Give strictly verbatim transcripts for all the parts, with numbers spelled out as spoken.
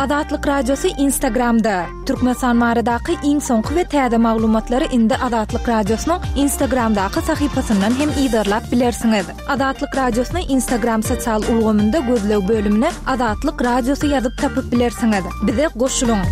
Azatlyk Radiosy Instagramda. Türkmenistan baradaky iň soňky we täze maglumatlary indi Azatlyk Radiosynyň Instagramdaky sahypasyndan hem yzarlap bilersiňiz. Azatlyk Radiosyny Instagram sosial ulgamynda gözleg bölümine Azatlyk Radiosy ýazyp tapyp bilersiňiz. Bize goşulyň.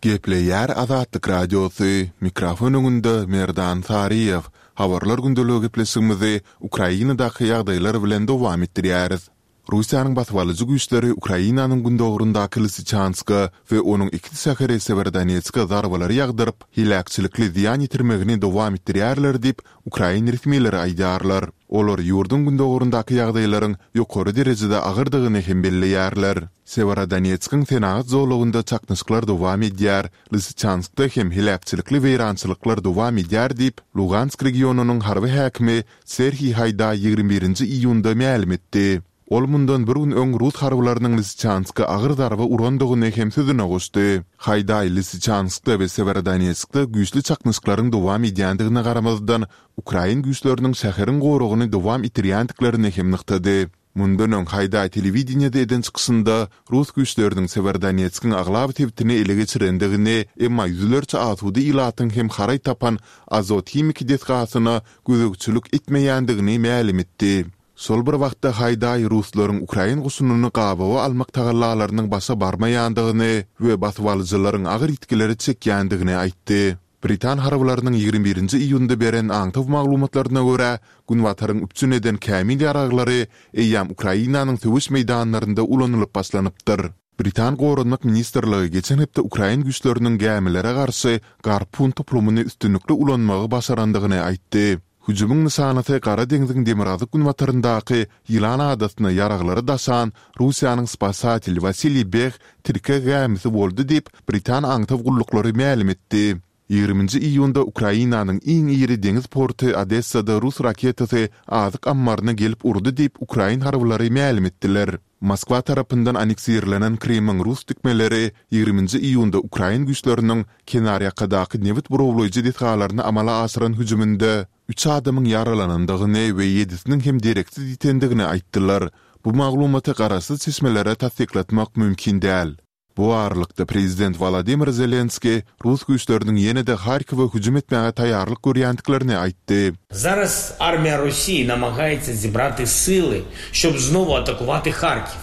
Gepleýär Azatlyk Radiosy, mikrofon öňünde Merdan Saryýew. Habarlar gündeligi gepleşigimizi Ukrainadaky ýagdaýlar bilen dowam etdirýäris. Russiýanyň basybalyjy güýçleri Ukrainanyň gündogaryndaky Lysyçanska we onuň ikiz şäheri Sewerodonetske zarbalary ýagdyryp, heläkçilikli zyýan ýetirmegini dowam etdirýärler diýip, ukrain resmileri aýdýarlar. Olar ýurduň gündogaryndaky ýagdaýlaryň ýokary derejede agyrdygyny hem belleýärler. Sewerodonetskiň senagat zolagynda çaknyşyklar dowam edýär, Lysyçanskda hem heläkçilikli weýrançylyklar dowam edýär diýip, Lugansk regionynyň harby häkimi Serhiý Haýdaý ýigrimi birinji iýunda mälim etdi. Ol mundan bir gün öň rus harbylarynyň Lysyçanska agyr zarba urandygyny hem sözüne goşdy. Haýdaý Lysyçanskda we Sewerodonetskde güýçli çaknyşyklaryň dowam edýändigine garamazdan, ukrain güýçleriniň şäheriň goragyny dowam etdirýändiklerini hem nygtady. Mundan öň Haýdaý telewideniýede eden çykyşynda rus güýçleriniň Sewerodonetskiň aglaba sebitini ele geçirendigini, emma ýüzlerçe asuda ilatyň hem haraý tapan Azot himiki desgasyna gözegçilik etmeýändigini mälim etdi. Şol bir wagtda Haýdaý ruslaryň ukrain goşunyny gabawa almak tagallalarynyň başa barmaýandygyny we basybalyjylaryň agyr ýitgileri çekýändigini aýtdy. Britan harbylarynyň ýigrimi birinji iýunda beren aňtaw maglumatlaryna görä, Günbataryň üpjün eden kämil ýaraglary eýýäm Ukrainanyň söweş meýdanlarynda ulanylyp başlanypdyr. Britan Goranmak ministrligi geçen hepde ukrain güýçleriniň gämilere garşy Garpun toplumyny üstünlikli ulanmagy başarandygyny aýtdy. Hüjümiň nyşanasy Gara deňziň demirgazyk-günbataryndaky Ýylan adasyna ýaraglary daşan Russiýanyň Spasatel Wasiliý Beh tirkeg gämisi boldy diýip, britan aňtaw gulluklary mälim etdi. Ýigriminji iýunda Ukrainanyň iň iri deňiz porty Odessada rus raketasy azyk ammaryna gelip urdy diýip, ukrain harbylary mälim etdiler. Moskwa tarapyndan anneksirlenen Krymyň rus dikmeleri ýigriminji iýunda ukrain güýçleriniň kenarýakadaky nebit burawlaýjy desgalaryna amala aşyran hüjüminde üç adamyň ýaralanandygyny we ýedisiniň hem dereksiz ýitendigini aýtdylar. Bu maglumaty garaşsyz çeşmelere tassyklatmak mümkin däl. Bu aralykda, prezident Wolodymyr Zelenskiý rus güýçleriniň ýene-de Harkowa hüjüm etmäge taýýarlyk görýändiklerini aýtdy. Zaraz armiýa Russiýi namagaýtsa zibraty syly, şob znowu atakuwaty Harkiw.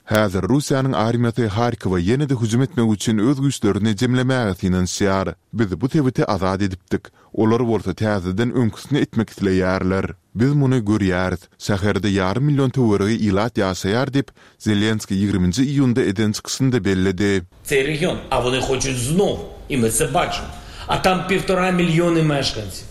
Häzir Russiýanyň armiýasy Harkowa ýene-de hüjüm etmek üçin öz güýçlerini jemlemäge synanyşýar. Biz bu sebiti azat edipdik. Olar bolsa täzeden öňküsini etmek isleýärler. Biz muny görýäris. Şäherde ýarym million töweregi ilat ýaşaýar diýip, Zelenskiý ýigriminji iýunda eden çykyşynda belledi. Цей region, a вони хочуть знов, и ми це бачимо. A tam півтора мільйони мешканців.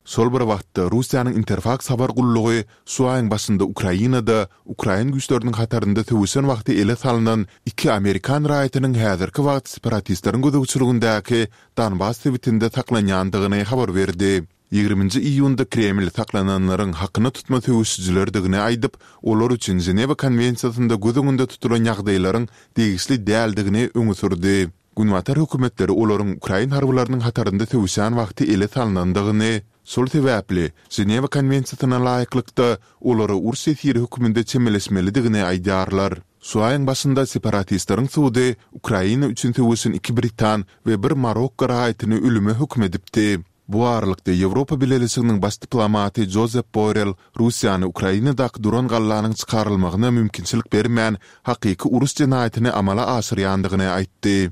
Şol bir wagtda, Russiýanyň Interfaks habar gullugy şu aýyň başynda Ukrainada ukrain güýçleriniň hatarynda söweşen wagty ele salnan iki amerikan raýatynyň häzirki wagt separatistleriň gözegçiligindäki Donbas sebitinde saklanýandygyny habar berdi. Ýigriminji iýunda Kreml saklananlaryň hakyna tutma söweşijilerdigini aýdyp, olar üçin Ženewa konwensiýasynda göz öňünde tutulan ýagdaýlaryň degişli däldigini öňe sürdi. Günbatar hökümetleri olaryň ukrain harbylarynyň hatarynda söweşen wagty ele salnandygyny, şol sebäpli Ženewa konwensiýasyna laýyklykda olara uruş ýesiri hökmünde çemeleşmelidigini aýdýarlar. Şu aýyň başynda separatistleriň sudy Ukraina üçin söweşen iki britan we bir marokko raýatyny ölüme höküm edipdi. Bu aralykda Ýewropa Bileleşiginiň baş diplomaty Jozep Borrell Russiýany Ukrainadaky duran gallanyň çykarylmagyna mümkinçilik bermän, hakyky uruş jenaýatyny amala aşyrýandygyny aýtdy.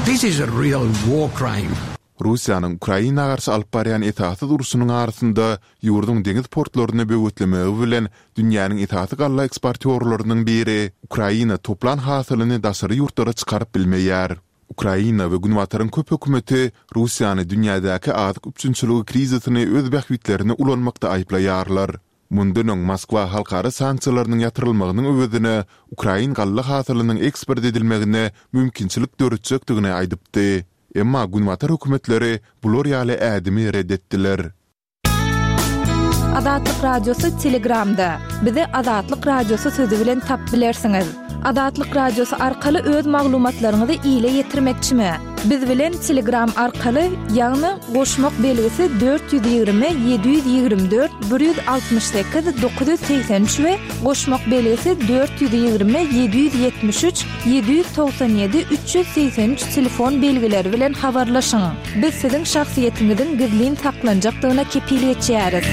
This is a real war crime. Russiýanyň Ukraina garşy alyp barýan esassyz urşunyň arasynda ýurduň deňiz portlaryny böwetlemegi bilen dünýäniň esasy galla eksportýorlarynyň biri Ukraina toplan hasylyny daşary ýurtlara çykaryp bilmeýär. Ukraina we Günbataryň köp hökümeti Russiýany dünýädäki azyk üpjünçiligi krizisini öz bähbitlerine ulanmakda aýyplaýarlar. Mundan öň Moskwa halkara sanksiýalarynyň ýatyrylmagynyň öwezine ukrain galla hasylynyň eksport edilmegine mümkinçilik döretjekdigini aýdypdy. Emma Günbatar hökümetleri bular ýaly ädimi ret etdiler. Azatlyk Radiosy Telegramda. Bizi Azatlyk Radiosy sözi bilen tapyp bilersiňiz. Azatlyk Radiosy arkaly öz maglumatlaryňyzy ile ýetirmekçimi? Biz bilen Telegram arkaly, ýagny goşmak belgisi dört ýüz ýigrimi ýedi ýüz ýigrimi dört bir ýüz altmyş sekiz dokuz ýüz segsen üç we goşmak belgisi dört ýüz ýigrimi ýedi ýüz ýetmiş üç ýedi ýüz togsan ýedi üç ýüz segsen üç telefon belgileri bilen habarlaşyň. Biz siziň şahsyýetiňiziň gizlin saklanjakdygyna kepil geçýäris.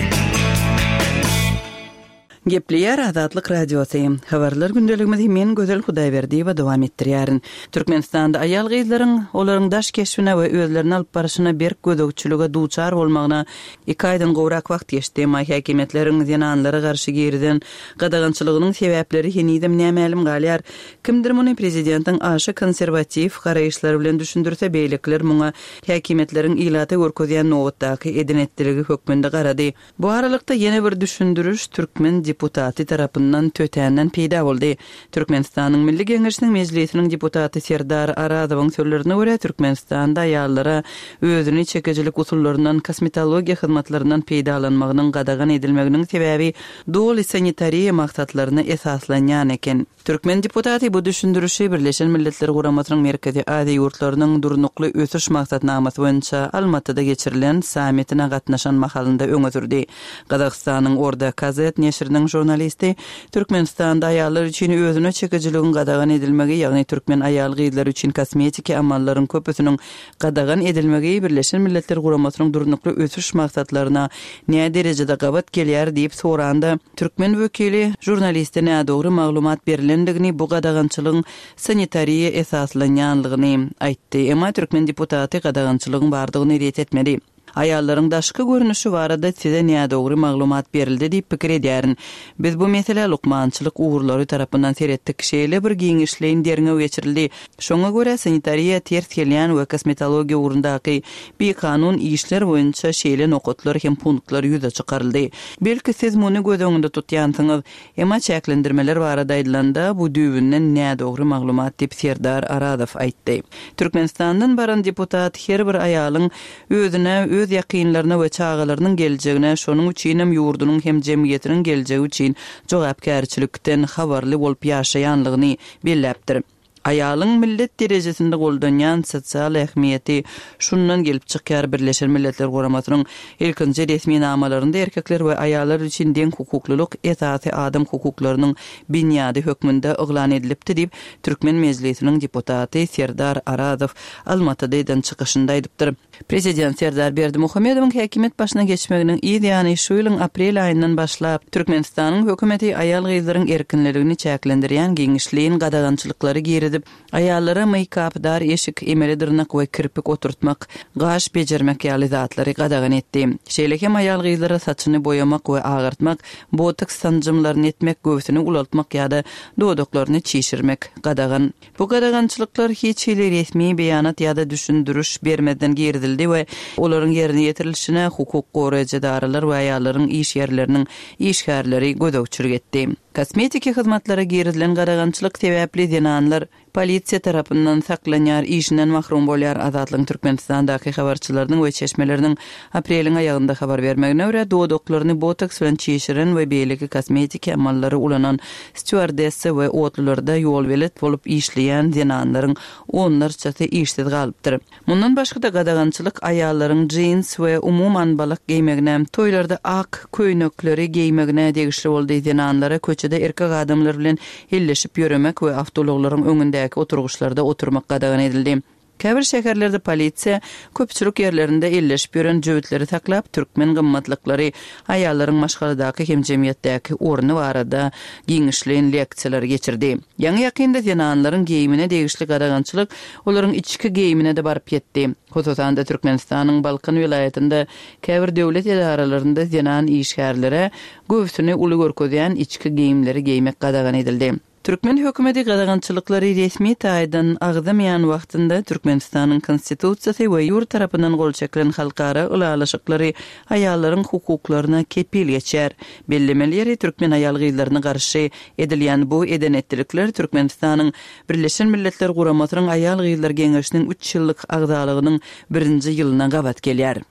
Gepleýär Azatlyk Radiosy. Habarlar gündeligimizi men Gözel Hudaýberdiýewa dowam etdirýärin. Türkmenistanda aýal-gyzlaryň olaryň daş keşbine we özlerini alyp baryşyna berk gözegçilige duçar bolmagyna iki aýdan gowrak wagt geçdi. Emma häkimiýetleriň zenanlara garşy girizen gadagançylygynyň sebäpleri henizem nämälim galýar. Kimdir muny prezidentiň aşa konserwatiw garaýyşlary bilen düşündirse, beýlekiler muňa häkimiýetleriň ilata görkezýän nobatdaky eden-etdiligi hökmünde garady. Bu aralykda ýene bir düşündiriş türkmen deputaty tarapyndan tötänden peýda boldy. Türkmenistanyň Milli Geňeşiniň Mejlisiniň deputaty Serdar Arazowyň sözlerine görä, Türkmenistanda aýallara özüni çekijilik usullaryndan, kosmetologiýa hyzmatlaryndan peýdalanmagynyň gadagan edilmeginiň sebäbi doly sanitariýa maksatlaryna esaslanýan eken. Türkmen deputaty bu düşündirişi Birleşen Milletler Guramasynyň Merkezi Aziýa ýurtlarynyň durnukly ösüş maksatnamasy boýunça Almatyda geçirilen sammitine gatnaşan mahalynda öňe sürdi. Gazagystanyň Orda Kazet neşiriniň žurnalisti Türkmenistanda aýallar üçin özüne çekijiligiň gadagan edilmegi, ýagny türkmen aýal-gyzlary üçin kosmetiki amallaryň köpüsiniň gadagan edilmegi Birleşen Milletler Guramasynyň durnukly ösüş maksatlaryna nä derejede gabat gelýär diýip soranda, türkmen wekili žurnaliste nädogry maglumat berilendigini, bu gadagançylygyň sanitariýa esaslanýanlygyny aýtdy. Emma türkmen deputaty gadagançylygyň bardygyny ret etmedi. Aýallaryň daşky görnüşi barada size nädogry maglumat berildi diýip pikir edýärin. Biz bu meselä lukmançylyk ugurlary tarapyndan seretdik. Şeýle bir giňişleýin derňew geçirildi. Şoňa görä sanitariýa ters gelýän we kosmetologiýa ugrundaky bikanun işler boýunça şeýle nokatlar hem punktlar ýüze çykaryldy. Belki siz muny göz öňünde tutýansyňyz. Emma çäklendirmeler barada aýdylanda bu düýbünden nädogry maglumat diýip Serdar Arazow aýtdy. Türkmenistandan baran deputat her bir aýalyň özüne, öz ýakynlaryna we çagalarynyň geljegine, şonuň üçin hem ýurdunyň hem jemgyýetiniň geljegi üçin jogapkärçilikden habarly bolup ýaşaýanlygyny belläpdir. Aýalyň millet derejesinde goldanýan sosial ähmiýeti şundan gelip çykýar. Birleşen Milletler Guramasynyň ilkinji resminamalarynda erkekler we aýallar üçin deň hukuklylyk esasy adam hukuklarynyň binýady hökmünde yglan edilipdi diýip Türkmen Mejlisiniň deputaty Serdar Arazow Almatyda eden çykyşynda aýdypdyr. Prezident Serdar Berdimuhamedowyň häkimiýet başyna geçmeginiň yz ýany şu ýylyň aprel aýyndan başlap Türkmenistanyň hökümeti aýal-gyzlaryň erkinligini çäklendirýän giňişleýin gadagançylyklary girizip, aýallara make-up, dar eşik, emeli dyrnak we kirpik oturtmak, gaş bejermek ýaly zatlary gadagan etdi. Şeýle hem aýal-gyzlara saçyny boýamak we agartmak, botoks sanjymlaryny etmek, göwsüni ulaltmak ýa-da dodaklaryny çişirmek gadagan. Bu gadagançylyklar hiç hili resmi beýanat ýa-da düşündiriş bermezden girizildi we olaryň ýerine ýetirilişine hukuk goraýjy edaralar we aýallaryň iş ýerleriniň işgärleri gözegçilik etdi. Kosmetiki hyzmatlara girizilen gadagançylyk sebäpli zenanlar polisiýa tarapyndan saklanýar, işinden mahrum bolýar. Azatlygyň Türkmenistandaky habarçylarynyň we çeşmeleriniň apreliň aýagynda habar bermegine görä, dodaklaryny botoks bilen çişiren we beýleki kosmetiki amallary ulanan stýuardessa we otlularda ýolbelet bolup işleýän zenanlaryň onlarçasy işsiz galypdyr. Mundan başga-da gadagançylyk aýallaryň jeans we umuman balak geýmegine, toýlarda ak köýnekleri geýmegine degişli boldy. Zenanlara köçede erkek adamlar bilen elleşip ýöremek we awtoulaglaryň öňündäki oturgyçlarda oturmak gadagan edildi. Käbir şäherlerde polisiýa köpçülik ýerlerinde elleşip ýören jübütleri saklap, türkmen gymmatlyklary, aýallaryň maşgaladaky hem jemgyýetdäki orny barada giňişleýin leksiýalar geçirdi. Ýaňy ýakynda zenanlaryň geýimine degişli gadagançylyk olaryň içki geýimine-de baryp ýetdi. Hususan-da Türkmenistanyň Balkan welaýatynda käbir döwlet edaralarynda zenan işgärlere göwsüni uly görkezýän içki geýimleri geýmek gadagan edildi. Türkmen hökümeti gadagançylyklary resmi taýdan agzamaýan wagtynda Türkmenistanyň Konstitusiýasy we ýurt tarapyndan gol çekilen halkara ylalaşyklary aýallaryň hukuklaryna kepil geçýär. Bellemeli ýeri, türkmen aýal-gyzlaryna garşy edilýän bu eden-etdilikler Türkmenistanyň Birleşen Milletler Guramasynyň Aýal-gyzlar geňeşiniň üç ýyllyk agzalygynyň birinji ýylyna gabat gelýär.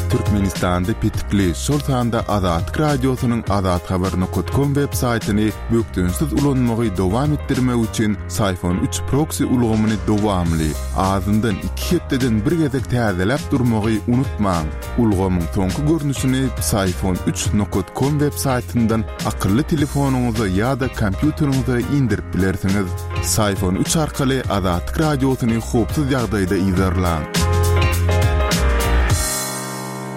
Türkmenistanda petikli, şol sanda Azatlyk Radiosynyň azathabar nokat kom web saýtyny bökdençsiz ulanmagy dowam etdirmek üçin Syfon üç proksi ulgamyny dowamly, azyndan iki hepdeden bir gezek täzeläp durmagy unutmaň. Ulgamyň soňky görnüşini Syfon üç nokat kom web saýtyndan akylly telefonyňyza ýa-da kompýuteriňize indirip bilersiňiz. Syfon üç arkaly Azatlyk Radiosyny howpsuz ýagdaýda yzarlaň.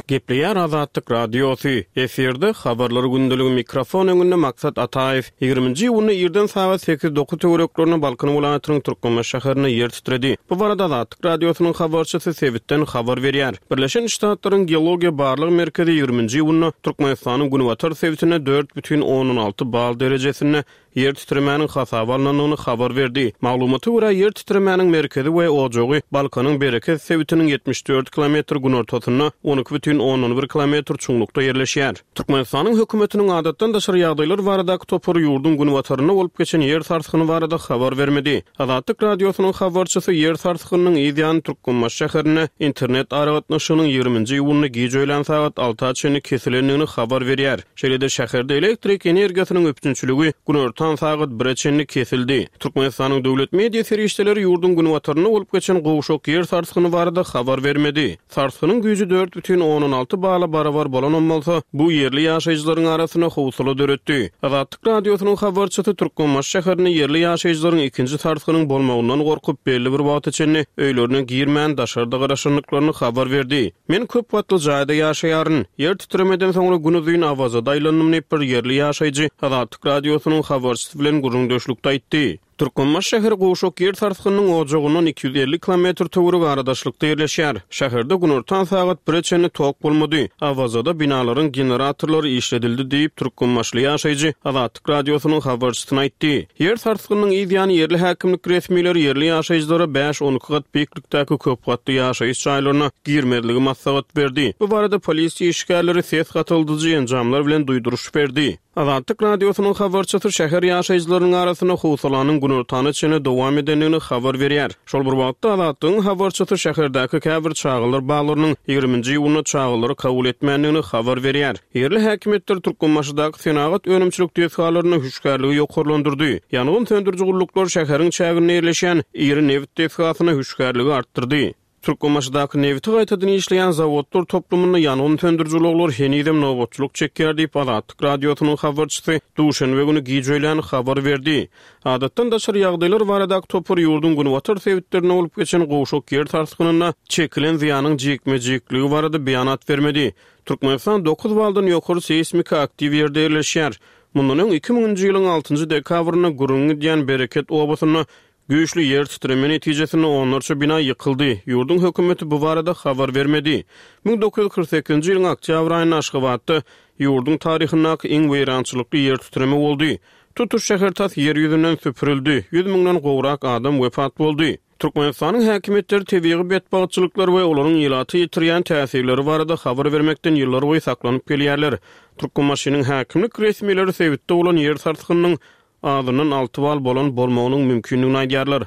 Gepleýär Azatlyk Radiosy. Efirde habarlar gündeligi mikrofon öňünde Maksat Ataýew. Ýigriminji iýunda irden sagat sekiz dokuz töwereklerinde Balkan welaýatynyň Türkmenbaşy şäherinde ýer titredi. Bu barada Azatlyk Radiosynyň habarçysy sebitden habar berýär. Birleşen Ştatlaryň Geologiýa barlag merkezi ýigriminji iýunda Türkmenistanyň günbatar sebitinde dört bütin ondan alty bal derejesinde ýer titremäniň hasaba alnandygyny habar berdi. Maglumata görä, ýer titremäniň merkezi we ojagy Balkanyň Bereket sebitiniň ýetmiş dört kilometr günortasynda on iki bütin ondan bir kilometr çuňlukda ýerleşýär. Türkmenistanyň hökümetiniň adatdan daşary ýagdaýlar baradaky topary ýurduň günbatarynda bolup geçen ýer sarsgyny barada habar bermedi. Azatlyk Radiosynyň habarçysy ýer sarsgynynyň yz ýany Türkmenbaşy şäherinde internet aragatnaşygynyň ýigriminji iýunda gije öýlän sagat alta çenli kesilendigini habar berýär. Şeýle-de şäherde elektrik energiýasynyň üpjünçiligi günortan sagat bire çenli kesildi. Türkmenistanyň döwlet media serişdeleri ýurduň günbatarynda bolup geçen gowşak ýer sarsgyny barada habar bermedi. Sarsgynyň güýji dört bütin ondan alty bala barabar bolanam bolsa, bu ýerli ýaşaýjylaryň arasynda howsala döretdi. Azatlyk Radiosynyň habarçysy Türkmenbaşy şäherinde ýerli ýaşaýjylaryň ikinji sarsgynyň bolmagyndan gorkup belli bir wagta çenli öýlerine girmän daşarda garaşandyklaryny habar berdi. Men köp gatly jaýda ýaşaýaryn. Ýer titremeden soňra gün uzyn Awazada aýlandym diýip bir ýerli ýaşaýjy Azatlyk Radiosynyň habarçysy bilen gürrüňdeşlikde aýtdy. Türkmenbaşy şäheri gowşak ýer sarsgynynyň ojagyndan iki ýüz elli kilometr töweregi aradaşlykda ýerleşýär. Şäherde günortan sagat bire çenli tok bolmady. Awazada binalaryň generatorlary işledildi diýip Türkmenbaşyly ýaşaýjy Azatlyk Radiosynyň habarçysyna aýtdy. Ýer sarsgynynyň yz ýany ýerli häkimlik resmileri ýerli ýaşaýjylara bäş on iki gat beýiklikdäki köp gatly ýaşaýyş jaýlaryna girmezligi maslahat berdi. Bu barada polisiýa işgärleri ses gatyldyjy enjamlar bilen duýduryş berdi. Azatlyk Radiosynyň habarçysy şäher ýaşaýjylarynyň arasynda howsalanyň günortana çenli dowam edendigini habar berýär. Şol bir wagtda Azatlygyň habarçysy şäherdäki käbir çagalar baglarynyň ýigriminji iýunda çagalary kabul etmändigini habar berýär. Ýerli häkimiýetler Türkmenbaşydaky senagat önümçilik desgalaryny hüşgärligi ýokarlandyrdy. Ýangyn söndüriji gulluklar şäheriň çäginde ýerleşen iri nebit desgasyna hüşgärligi artdyrdy. Türkmenbaşydaky nebiti gaýtadan işleýän zawodlar toplumynda ýangyn söndüriji ulaglar henizem nobatçylyk çekýär diýip Azatlyk Radiosynyň habarçysy duşenbe güni gije öýlän habar berdi. Adatdan daşary ýagdaýlar baradaky topar ýurduň günbatar sebitlerinde bolup geçen gowşak ýer sarsgynynda çekilen zyýanyň jikme-jikligi barada beýanat bermedi. Türkmenistan dokuz baldan ýokary seýsmiki aktiw ýerde ýerleşýär. Mundan öň iki müňünji ýylyň altynjy dekabrynda gürrüň gidýän Bereket obasynda güýçli ýer titreme netijesinde onlarça bina ýykyldy. Ýurduň hökümeti bu barada habar bermedi. Müň dokuz ýüz kyrk sekizinji ýylyň oktýabr aýynda Aşgabatda ýurduň taryhyndaky iň weýrançylykly ýer titreme boldy. Tutuş şäher tas ýer ýüzünden süpürildi. Ýüz müňden gowrak adam wepat boldy. Türkmenistanyň häkimiýetleri tebigy betbagtçylyklar we olaryň ilaty ýetirýän täsirleri barada habar bermekden ýyllar boýy saklanyp gelýärler. Türkmenbaşynyň häkimlik resmileri sebitde bolan ýer sarsgynynyň azyndan alty bal bolan bolmagynyň mümkindigini aýdýarlar.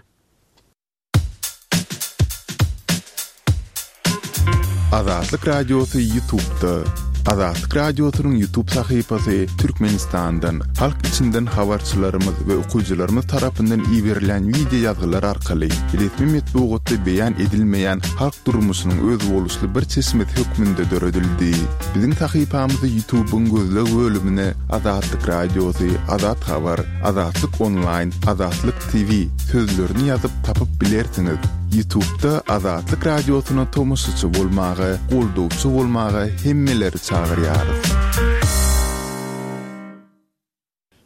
Azatlyk Radiosy YouTube'da. Azatlyk Radiosynyň YouTube sahypasy Türkmenistandan, halk içinden habarçylarymyz we okyjylarymyz tarapyndan iberilen video ýazgylar arkaly resmi metbugatda beýan edilmeýän halk durmuşynyň özboluşly bir çeşmesi hökmünde döredildi. Biziň sahypamyzy YouTube'yň gözleg bölümine Azatlyk Radiosy, Azat Habar, Azatlyk Online, Azatlyk T V sözlerini ýazyp tapyp bilersiňiz. YouTube'da Azatlyk Radiosyna tomaşaçy bolmaga, goldawçy bolmaga hemmeleri çagyrýarys.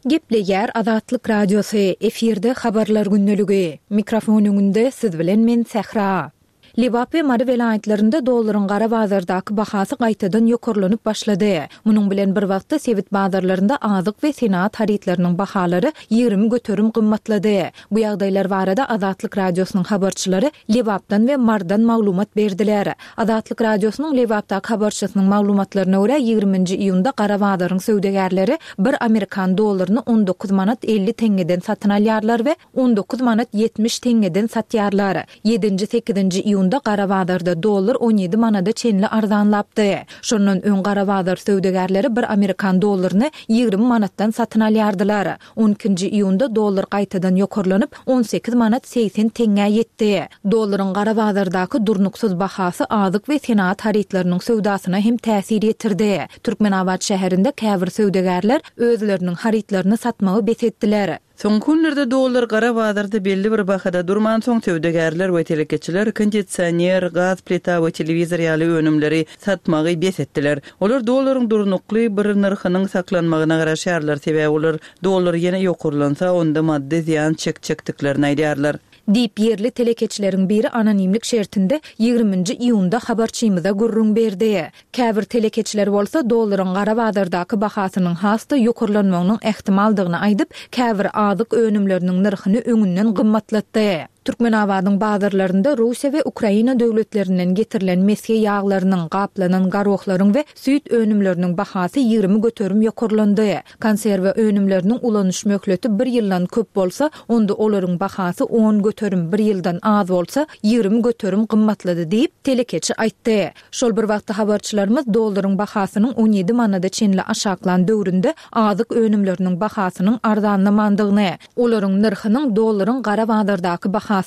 Gepleýär Azatlyk Radiosy, efirde habarlar gündeligi. Mikrofon öňünde siz bilen men Sähra. Lebap we Mary welaýatlarynda dollaryň gara bazardaky bahasy gaýtadan ýokarlanyp başlady. Munuň bilen bir wagtda sebit bazarlarynda azyk we senagat harytlarynyň bahalary ýigrimi göterim gymmatlady. Bu ýagdaýlar barada Azatlyk Radiosynyň habarçylary Lebapdan we Mardan maglumat berdiler. Azatlyk Radiosynyň Lebapdaky habarçysynyň maglumatlaryna görä ýigriminji iýunda gara bazaryň söwdagärleri bir amerikan dollaryny on dokuz manat elli teňňeden satyn alýarlar we on dokuz manat ýetmiş teňňeden satýarlar. Ýedinji, sekizinji iýunda iýunda gara bazarda dollar on ýedi manada çenli arzanlapdy. Şondan öň gara bazar söwdagärleri bir amerikan dollaryny ýigrimi manatdan satyn alýardylar. on ikinji iýunda dollar gaýtadan ýokarlanyp on sekiz manat segsen teňňä ýetdi. Dollaryň gara bazardaky durnuksyz bahasy azyk we senagat harytlarynyň söwdasyna hem täsir ýetirdi. Türkmenabat şäherinde käbir söwdagärler özleriniň harytlaryny satmagy bes etdiler. Soňky günlerde dollar gara bazarda belli bir bahada durman soň söwdagärler we telekeçiler kondisioner, gaz plita we telewizor ýaly önümleri satmagy bes etdiler. Olar dollaryň durnukly bir nyrhynyň saklanmagyna garaşarlar, sebäbi olar dollar ýene ýokarlansa onda maddy zyýan çekjekdiklerini aýdýarlar. Diýip ýerli telekeçileriň biri anonimlik şertinde ýigriminji iýunda habarçymyza gürrüň berdi. Käbir telekeçiler bolsa dollaryň gara bazardaky bahasynyň has-da ýokarlanmagynyň ähtimaldygyny aýdyp, käbir azyk önümleriniň nyrhyny öňünden gymmatlatdy. Türkmenabadyň bazarlarynda Russiýa we Ukraina döwletlerinden getirilen mesge ýaglarynyň, gaplanan garohlaryň we süýt önümleriniň bahasy ýigrimi göterim ýokarlandy. Konserwa önümleriniň ulanyş möhleti bir ýyldan köp bolsa, onda olaryň bahasy on göterim, bir ýyldan az bolsa ýigrimi göterim gymmatlady diýip telekeçi aýtdy. Şol bir wagtda habarçylarymyz dollaryň bahasynyň on ýedi manada çenli aşaklan döwründe azyk önümleriniň bahasynyň arzanlamandygyny, olaryň nyrhynyň dollaryň gara bazardaky bahasynyň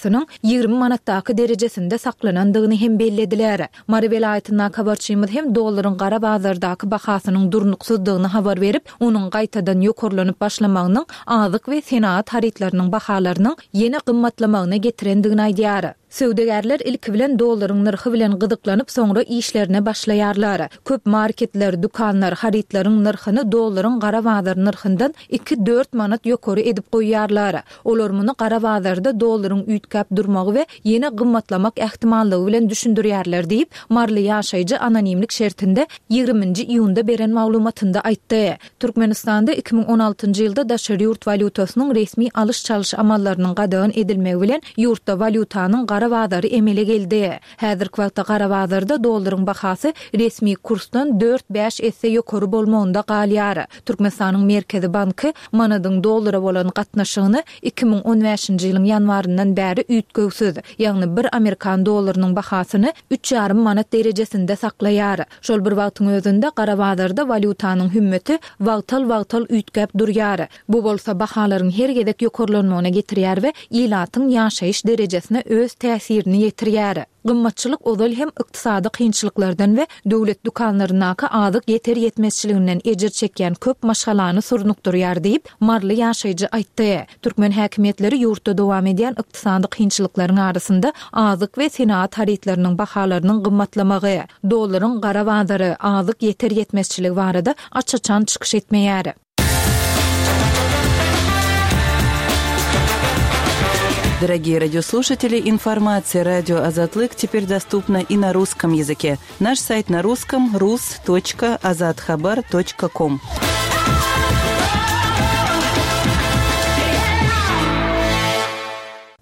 ýigrimi manatdaky derejesinde saklanandygyny hem bellediler. Mary welaýatyndaky habarçymyz hem dollaryň gara bazardaky bahasynyň durnuksyzdygyny habar berip, onuň gaýtadan ýokarlanyp başlamagynyň azyk we senagat harytlarynyň bahalarynyň ýene gymmatlamagyna getirendigini aýdýar. Söwdagärler ilki bilen dollaryň nyrhy bilen gyzyklanyp, soňra işlerine başlaýarlar. Köp marketler, dükanlar harytlaryň nyrhyny dollaryň gara bazar nyrhyndan iki dört manat ýokary edip goýýarlar. Olar muny gara bazarda dollaryň üýtgäp durmagy we ýene gymmatlamak ähtimallygy bilen düşündirýärler diýip, Marly ýaşaýjy anonimlik şertinde ýigriminji iýunda beren maglumatynda aýtdy. Türkmenistanda iki müň on altynjy ýylda daşary ýurt walýutasynyň resmi alyş-çalyş amallarynyň gadagan edilmegi bilen ýurtda walýutanyň gara bazary emele geldi. Häzirki wagtda gara bazarda dollaryň bahasy resmi kursdan dört bäş esse ýokary bolmagynda galýar. Türkmenistanyň Merkezi Banky manadyň dollara bolan gatnaşygyny iki müň on bäşinji ýylyň ýanwaryndan bäri üýtgewsiz, ýagny bir amerikan dollarynyň bahasyny üç ýarym manat derejesinde saklaýar. Şol bir wagtyň özünde gara bazarda walýutanyň hümmeti wagtal-wagtal üýtgäp durýar. Bu bolsa bahalaryň her gezek ýokarlanmagyna getirýär we ilatyň ýaşaýyş derejesine öz täsirini ýetirýär. Gymmatçylyk ozal hem ykdysady kynçylyklardan we döwlet dükanlaryndaky azyk ýeter ýetmezçiliginden ejir çekýän köp maşgalany surnukdyrýar diýip, Marly ýaşaýjy aýtdy. Türkmen häkimiýetleri ýurtda dowam edýän ykdysady kynçylyklaryň arasynda azyk we senagat harytlarynyň bahalarynyň gymmatlamagy, dollaryň gara bazary, azyk ýeter ýetmezçiligi barada aç-açan çykyş etmeýär. Дорогие радиослушатели, информация радио Азатлык теперь доступна и на русском языке. Наш сайт на русском рус точка азатхабар точка ком.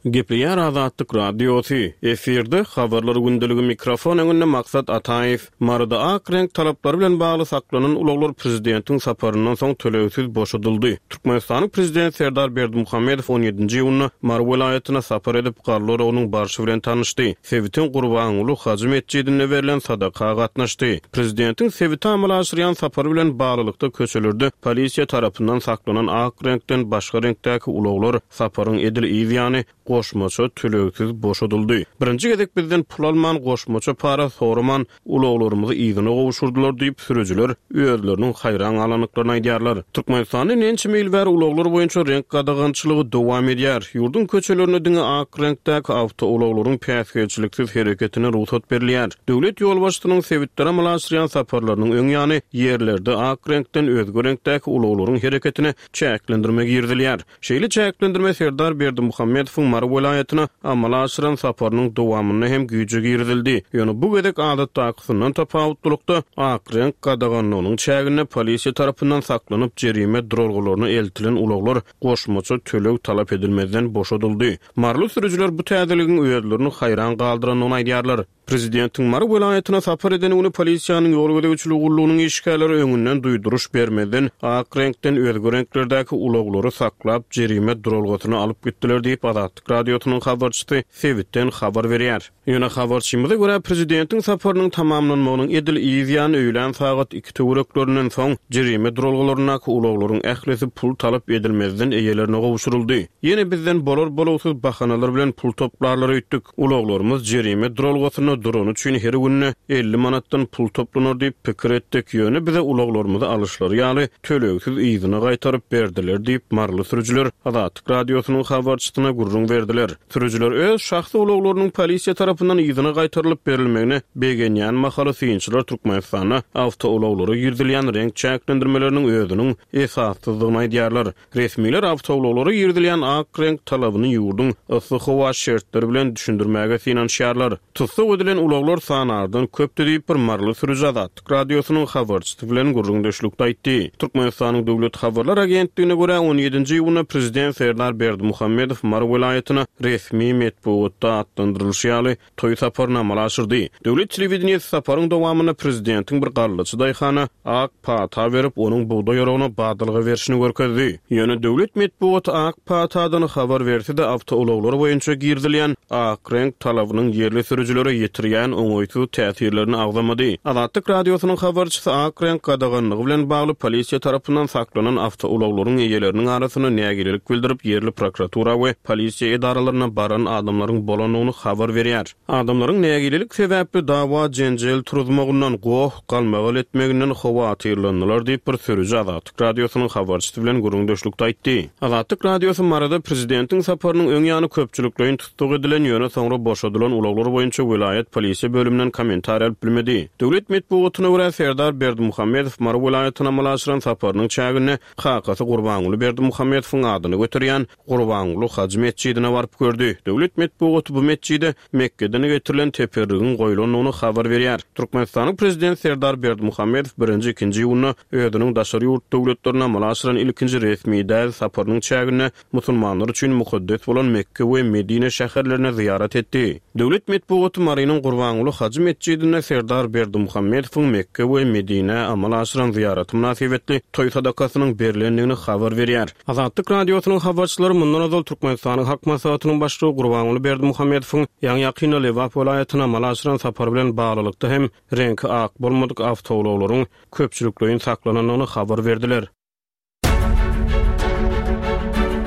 Gepleýär Azatlyk radiosy. Efirde habarlar gündeligi mikrofon öňünde Maksat Ataýew. Maryda ak reňk talaplary bilen bagly saklanan ulaglar prezidentiň saparyndan soň tölegsiz boşadyldy. Türkmenistanyň prezidenti Serdar Berdimuhamedow on ýedinji iýunda Mary welaýatyna sapar edip, garlar onuň barşy bilen tanyşdy. Sebitiň Gurbanguly Hajy metjidinde berlen sadaka gatnaşdy. Prezidentiň sebite amala aşyrýan sapary bilen baglylykda köçelerde polisiýa tarapyndan saklanan ak reňkden başga reňkdäki ulaglar saparyň edil ýany goşmaça tölegsiz boşadyldy. Birinji gezek bizden pul alman, goşmaça para soraman ulaglarymyzy yzyna gowşurdylar diýip sürüjiler özleriniň haýran galandyklaryny aýdýarlar. Türkmenistanda näçe mil bäri ulaglar boýunça reňk gadagançylygy dowam edýär. Ýurduň köçelerinde diňe ak reňkdäki awtoulaglaryň päsgelçiliksiz hereketine rugsat berilýär. Döwlet ýolbaşçysynyň sebitlere amala aşyrýan saparlarynyň öň ýany ýerlerde ak reňkden özge reňkdäki ulaglaryň hereketine çäklendirme girizilýär. Şeýle çäklendirme Serdar Berdimuhamedowyň Mary welaýatyna amala aşyran saparynyň dowamynda hem güýje girizildi. Ýöne bu gezek adatdakysyndan tapawutlylykda ak reňk gadaganlygynyň çäginde polisiýa tarapyndan saklanyp jerime duralgalaryna eltilen ulaglar goşmaça töleg talap edilmezden boşadyldy. Maryly sürüjiler bu täzeligiň özlerini haýran galdyrandygyny aýdýarlar. Prezidentiň Mary welaýatyna sapar eden güni polisiýanyň ýol gözegçiligi gullugynyň işgärleri öňünden duýduryş bermezden ak reňkden özge reňklerdäki ulaglary saklap jerime duralgasyna alyp gitdiler diýip Azatlyk Radiosynyň habarçysy sebitden habar berýär. Ýöne habarçymyza görä prezidentiň saparynyň tamamlanmagynyň edil ýany öýlän sagat iki töwereklerinden soň jerime duralgalaryndaky ulaglaryň ählisi pul talap edilmezden eýelerine gowşuryldy. Ýene bizden bolar bolugsyz bahanalar bilen pul toplarlary öýtdük. Ulaglarymyz jerime duralgasynda durany üçin her günde elli manatdan pul toplanar diýip pikir etdik. Ýöne bize ulaglarymyzy alyşlary ýaly tölegsiz yzyna gaýtaryp berdiler diýip Maryly sürüjiler Azatlyk Radiosynyň habarçysyna gürrüň berdiler. Sürüjiler öz şahsy ulaglarynyň polisiýa tarapyndan yzyna gaýtarylyp berilmegine begenýän mahaly synçylar Türkmenistanda awtoulaglara girizilýän reňk çäklendirmeleriniň özüniň esassyzlygyny aýdýarlar. Resmiler awtoulaglara girizilýän ak reňk talabyny ýurduň yssy howa şertleri bilen düşündirmäge synanyşýarlar. Tussag edilen ulaglar sanardan köpdü diýip bir Maryly sürüji Azatlyk Radiosynyň habarçysy bilen gürrüňdeşlikde aýtdy. Türkmenistanyň Döwlet Habarlar Agentligine görä on ýedinji iýunda prezident Serdar Berdimuhamedow Mary welaýatyna resmi metbugatda atlandyrylyşy ýaly toý saparyny amala aşyrdy. Döwlet telewideniýesi saparyň dowamynda prezidentiň bir gallaçy daýhana ak pata berip, onuň bugdaý ýoragyna badalga berişini görkezdi. Ýöne döwlet metbugaty ak patadan habar berse-de awtoulaglar boýunça girizilýän ak reňk talabynyň ýerli sürüjilere ýetirýän oňaýsyz täsirlerini agzamady. Azatlyk Radiosynyň habarçysy ak reňk gadaganlygy bilen bagly polisiýa tarapyndan saklanan awtoulaglaryň eýeleriniň arasynda nägilelik bildirip, ýerli prokuratura we polisiýa edaralaryna baran adamlaryň bolandygyny habar berýär. Adamlaryň nägilelik sebäpli dawa jenjel turuzmagyndan, goh galmagal etmeginden howatyrlandylar diýip bir sürüji Azatlyk Radiosynyň habarçysy bilen gürrüňdeşlikde aýtdy. Azatlyk Radiosy Maryda prezidentiň saparynyň öň ýany köpçülikleýin tussag edilen, ýöne soňra boşadylan ulaglar boýunça welaýat polisiýa bölüminden kommentariý alyp bilmedi. Döwlet metbugatyna görä Serdar Berdimuhamedow Mary welaýatyna amala aşyran saparynyň çäginde kakasy Gurbanguly Berdimuhamedowyň adyny göterýän Gurbanguly Hajy metjidine baryp gördi. Döwlet metbugaty bu metjide Mekke'den getirilen teperrigiň goýlandygyny habar berýär. Türkmenistanyň prezident Serdar Berdimuhamedow birinji ikinji iýunda özüniň daşary ýurt döwletlerine amala aşyran ilkinji resmi däl saparynyň çäginde musulmanlar üçin mukaddes bolan Mekke we Medine şäherlerine ziýaret etdi. Döwlet metbugaty Marynyň Gurbanguly Hajy metjidinde Serdar Berdimuhamedowyň Mekke we Medine amala aşyran ziýareti mynasybetli toý sadakasynyň berilendigini habar berýär. Azatlyk Radiosynyň habarçylary mundan ozal Türkmenistanyň Halk Maslahatynyň başlygy Gurbanguly Berdimuhamedowyň ýaňy ýakynda Lebap welaýatyna amala aşyran sapary bilen baglylykda hem reňki ak bolmadyk awtoulaglaryň köpçülikleýin saklanandygyny habar berdiler.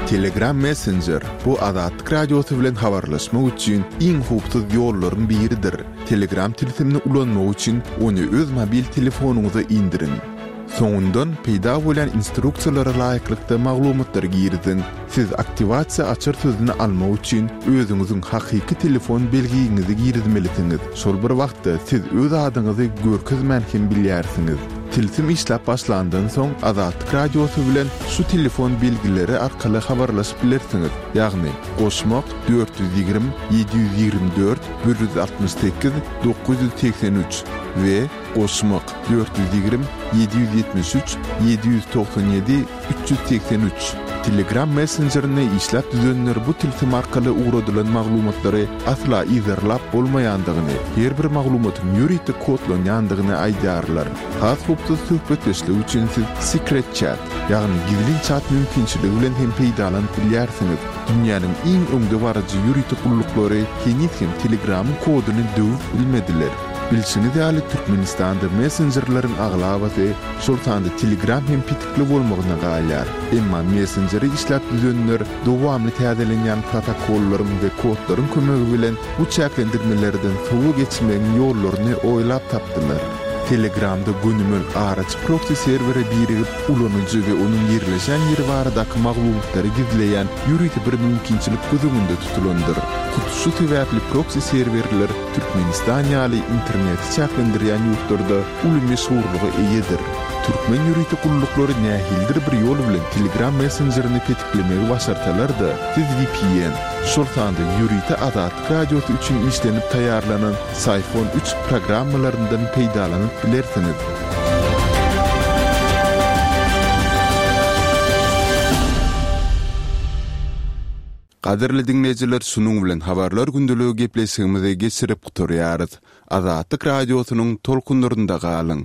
Telegram Messenger bu Azatlyk Radiosy bilen habarlaşmak üçin iň howpsuz ýollaryň biridir. Telegram tilsimini ulanmak üçin ony öz mobil telefonyňyza indiriň. Soňundan peýda bolan instruksiýalara laýyklykda maglumatlary giriziň. Siz aktiwasiýa açar sözüni almak üçin özüňiziň hakyky telefon belgiňizi girizmelisiňiz. Şol bir wagtda siz öz adyňyzy görkezmän hem bilýärsiňiz. Tilsim işläp başlandan soň Azatlyk Radiosy bilen şu telefon belgileri arkaly habarlaşyp bilersiňiz. Ýagny goşmak dört ýüz ýigrimi, ýedi ýüz ýigrimi dört, bir ýüz altmyş sekiz, dokuz ýüz segsen üç we goşmak dört ýüz ýigrimi, ýedi ýüz ýetmiş üç, ýedi ýüz togsan ýedi, üç ýüz segsen üç. Telegram Messengerini işläp düzenler bu tilsim arkaly ugradylan maglumatlary asla yzarlap bolmaýandygyny, her bir maglumatyň ýörite kodlanýandygyny aýdýarlar. Has howpsuz söhbetdeşlik üçin siz Secret Chat, ýagny gizlin chat mümkinçiligi bilen hem peýdalanyp bilýärsiňiz. Dünýäniň iň öňde baryjy ýörite gulluklary heniz hem Telegramyň koduny döwüp bilmediler. Bilşiňiz ýaly Türkmenistanda messenjerleriň aglabasy, şol sanda Telegram hem petikli bolmagyna galýar. Emma messengeri işläp düzenler dowamly täzelenýän protokollaryň we kodlaryň kömegi bilen bu çäklendirmelerden sowa geçmegiň ýollaryny oýlap tapdylar. Telegramda gönümel araçy proxy serwere birigip, ulanyjy we onuň ýerleşen ýeri baradaky maglumatlary gizleýän ýörite bir mümkinçilik göz öňünde tutulandyr. Hut şu sebäpli proxy serwerler Türkmenistan ýaly interneti çäklendirýän ýurtlarda uly meşhurlyga eýedir. Türkmen ýörite gulluklary nähilidir bir ýol bilen Telegram messenjerini petiklemegi başarsalar-da, siz V P N, şol sanda ýörite Azatlyk Radiosy üçin işlenip taýýarlanan Syphon üç programmalaryndan peýdalanyp bilersiňiz. Gadyrly diňleýjiler şunuň bilen Habarlar gündeligi gepleşigimizi geçirip gutarýarys. Azatlyk Radiosynyň tolkunlarynda galyň.